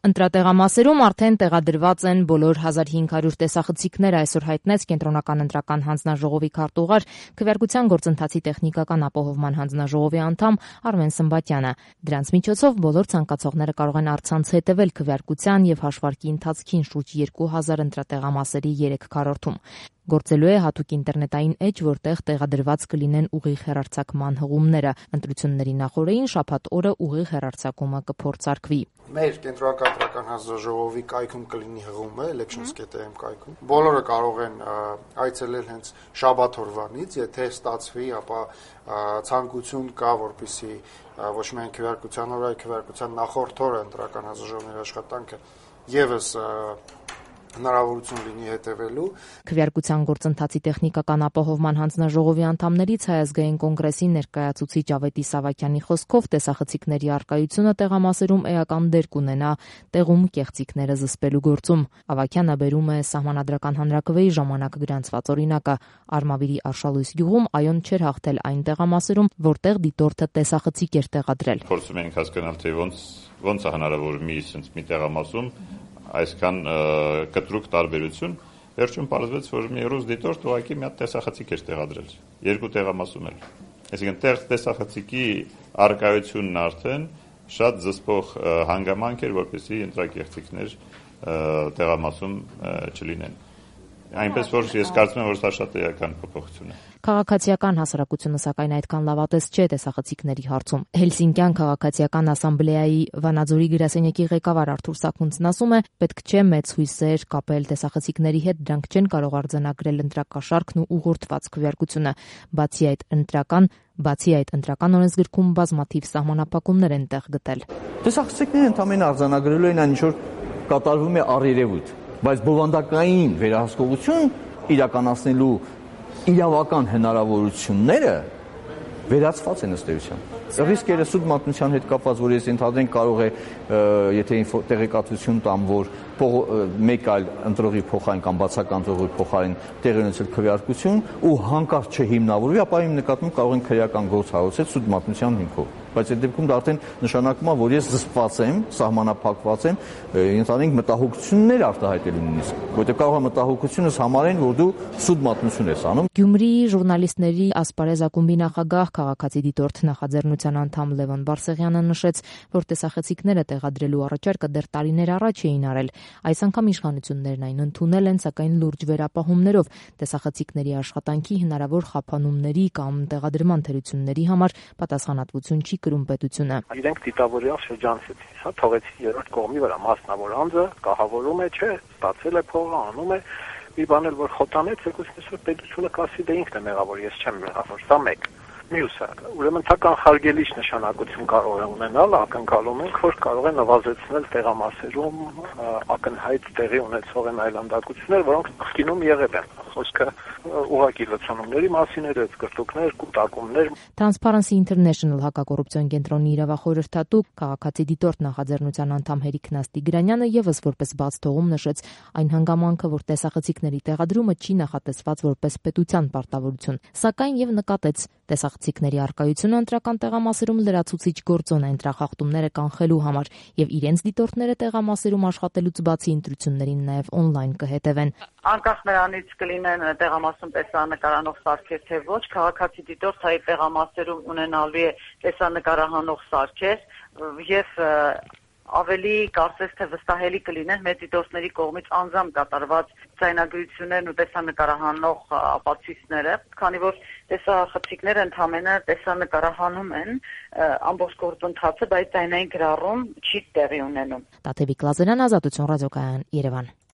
Ընտրատեղամասերում արդեն տեղադրված են բոլոր 1500 տեսախցիկները, այսօր հայտնեց Կենտրոնական ընտրական հանձնաժողովի քարտուղար, քվեարկության գործընթացի տեխնիկական ապահովման հանձնաժողովի անդամ Արմեն Սմբատյանը։ Դրանց միջոցով բոլոր ցանկացողները կարող են առցանց հետևել քվեարկության եւ հաշվարկի ընթացքին շուրջ 2000 ընտրատեղամասերի 3/4-ում։ Գործելու է հատուկ ինտերնետային էջ, որտեղ տեղադրված կլինեն ուղիղ հեռարձակման հղումները։ Ընտրությունների նախօրեին շաբաթ օրը ուղիղ հեռարձակումը կփորձարկվի։ Մեր Կենտրոնական ընտրական հանձնաժողովի կայքում կլինի հղումը, elections.am կայքում։ Բոլորը կարող են այցելել հենց շաբաթ օրվանից, եթե ստացվի, ապա ցանկություն կա, որպեսզի ոչ միայն քվեարկության օրը, այլ քվեարկության նախորդ օրը ընտրական հանձնաժողովների աշխատանքը եւս հնարավորություն լինի հետևելու։ Քվեարկության գործընթացի տեխնիկական ապահովման հանձնաժողովի անդամներից Հայ ազգային կոնգրեսի ներկայացուցիչ Ավետիս Սավակյանի խոսքով տեսախցիկների առկայությունը տեղամասերում էական դեր կունենա տեղում կեղծիքները զսպելու գործում։ Ավակյանը բերում է Սահմանադրական հանրաքվեի ժամանակ գրանցված օրինակը։ Արմավիրի Արշալույս գյուղում այոն չէր հաղթել այն տեղամասերում, որտեղ դիտորդը տեսախցիկ էր տեղադրել։ Փորձում ենք հասկանալ, թե ոնց է հնարավոր մի տեղամասում այսքան կտրուկ տարբերություն, վերջում պարզվեց, որ մի ռուս դիտորդ ուղղակի մի հատ տեսախցիկ էր տեղադրել, երկու տեղամասում էլ։ Այսինքն տեսախցիկի առկայությունն արդեն շատ զսպող հանգամանք էր, որպեսզի ընտրակեղծիքներ տեղամասում չլինեն։ Այնպես որ ես կարծում եմ, որ սա շատ էական փոփոխություն է։ Քաղաքացիական հասարակությունը սակայն այդքան լավատես չէ տեսախցիկների հարցում։ Հելսինկյան քաղաքացիական ասամբլեայի Վանաձորի գրասենյակի ղեկավար Արթուր Սաքունցն ասում է, պետք չէ մեծ հույսեր կապել տեսախցիկների հետ, դրանք չեն կարող արձանագրել ընտրակաշառքն ու ուղղորդված քվեարկությունը։ Բացի այդ ընտրական օրենսգրքում բազմաթիվ սահմանափակումներ են տեղ գտել։ Տեսախցիկները ընդհանրապես արձանագրելու են այն, ինչ որ կատարվում է առերևույթ, բայց բովանդակային վերահսկողություն իրականացնելու իրավական հնարավորությունները վերացված են ըստ էության։ Ռիսկերը սուտ մատնության հետ կապված, որ ես ընդհանրեն կարող է, եթե տեղեկատվություն տամ, որ մեկ այլ ընտրողի փոխարեն կամ բացական ընտրողի փոխարեն տեղի ունեցել քվեարկություն ու հանկարծ չհիմնավորվի, ապա իմ նկատմամբ կարող են քրեական գործ հարուցել սուտ մատնության հիմքով։ Բայց այդ դեպքում դա արդեն նշանակում է, որ ես զսպված եմ, սահմանափակված եմ, ընդհանրենք մտահոգություններ արտահայտելու նույնիսկ, որտեղ կարող է մտահոգությունս համարեն, որ դու սուտ մատնություն ես անում։ Գյումրիի ժուրնալիստների ասպարեզ ակումբի նախագահ, քաղաքացի դիտորդ նախաձեռնության անդամ Լևոն Բարսեղյանը նշեց, որ տեսախցիկները տեղադրելու առաջարկը դեռ տարիներ առաջ էին արել։ Այս անգամ իշխանություններն այն ընդունել են, սակայն լուրջ վերապահումներով տեսախցիկների աշխատանքի հնարավոր խափանումների կամ տեղադրման թերությունների համար պատասխանատվություն չի կրում պետությունը։ Իրենք դիտավորյալ շրջանցեցին, հա, թողեցին երրորդ կողմի վրա մասնավոր անձը, կահավորում է, չէ, ստացել է փողը, անում է, մի բան էլ որ խոտանեց, եկուսնես որ պետությունը կասի դե ինքն է մեղավոր, ես չեմ մեղավոր, սա մեկ։ Մյուսը, ուրեմն թական խարգելիչ նշանակություն կարող է ունենալ, ակնկալում ենք, որ կարող է նվազեցնել տեղամասերում ակնհայտ տեղի ունեցող են այլանդակություններ, որոնք նախկինում եղել են։ Խոսքը ուղղակի լցանումների մասին էր, կրտուկներ, կուտակումներ։ Transparency International հակակոռուպցիոն կենտրոնի իրավախորհրդատու քաղաքացի դիտորդ նախաձեռնության անդամ Հերիկ Նաստիգրանյանը եւս որպես բաց թողում նշեց այն հանգամանքը, որ տեսախցիկների տեղադրումը չի նախատեսված որպես պետության պարտավորություն, սակայն եւ նկատեց տեսախցիկների առկայությունը ընտրական տեղամասերում լրացուցիչ գործոն է ընտրախախտումները կանխելու համար եւ իրենց դիտորդները տեղամասերում աշխատելուց բացի ընտրություններին նաեւ on-line կհետևեն։ Անկախ նրանից կլինեն տեղամասում տեսանկարանող սարքեր թե ոչ, քաղաքացի դիտորդայի տեղամասերում ունենալու է տեսանկարահանող սարքեր եւ ավելի կարծես թե վստահելի կլինեն մեր դիտորդների կողմից անձամբ կատարված ձայնագրություններն ու տեսանկարահանող ապացույցները, քանի որ տեսախցիկները ընդհանրապես տեսանկարահանում են ամբողջ գործընթացը, բայց ձայնային գրառում չի տեղի ունենում։ Տաթևիկ Լազարյան, Ազատություն ռադիոկայան, Երևան։